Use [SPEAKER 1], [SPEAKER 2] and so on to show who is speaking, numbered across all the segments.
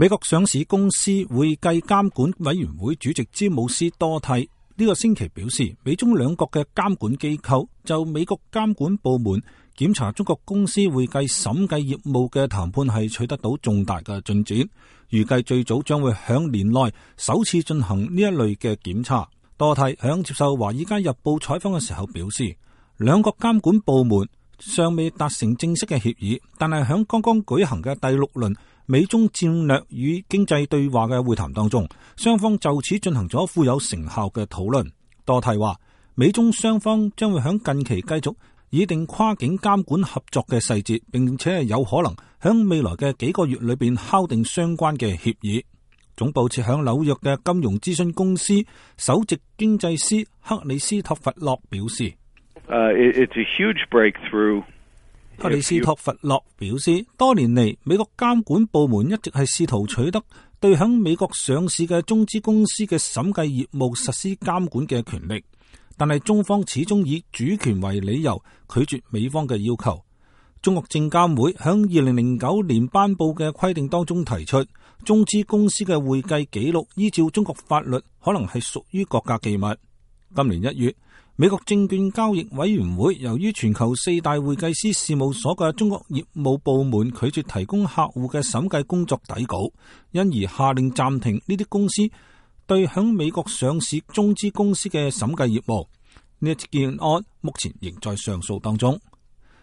[SPEAKER 1] 美國上市公司會計監管委員會主席詹姆斯多蒂呢個星期表示，美中兩國嘅監管機構就美國監管部門檢查中國公司會計審計業務嘅談判係取得到重大嘅進展，預計最早將會響年內首次進行呢一類嘅檢查。多蒂響接受《華爾街日報》採訪嘅時候表示，兩國監管部門尚未達成正式嘅協議，但係響剛剛舉行嘅第6輪美中戰略與經濟對話嘅會談當中，雙方就此進行咗富有成效嘅討論。多蒂話，美中雙方將會響近期繼續擬定跨境監管合作嘅細節，並且係有可能響未來嘅幾個月裏邊敲定相關嘅協議。總部設響紐約嘅金融諮詢公司首席經濟師克里斯托弗洛表示
[SPEAKER 2] ，It's a huge breakthrough。
[SPEAKER 1] 克里斯托弗洛表示，多年嚟美國監管部門一直係試圖取得對響美國上市嘅中資公司嘅審計業務實施監管嘅權力，但係中方始終以主權為理由拒絕美方嘅要求。中國證監會響2009年頒布嘅規定當中提出，中資公司嘅會計記錄依照中國法律可能係屬於國家機密。今年1月，美國證券交易委員會由於全球4大會計師事務所嘅中國業務部門拒絕提供客戶嘅審計工作底稿，因而下令暫停呢啲公司對響美國上市中資公司嘅審計業務。呢一件案目前仍在上訴當中。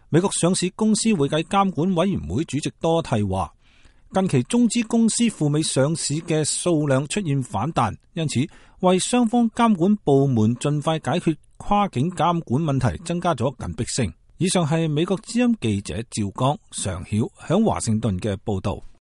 [SPEAKER 1] 美國上市公司會計監管委員會主席多蒂話，近期中資公司赴美上市嘅數量出現反彈，因此為雙方監管部門盡快解決跨境監管問題增加咗緊迫性。以上係美國之音記者趙剛、常曉響華盛頓嘅報道。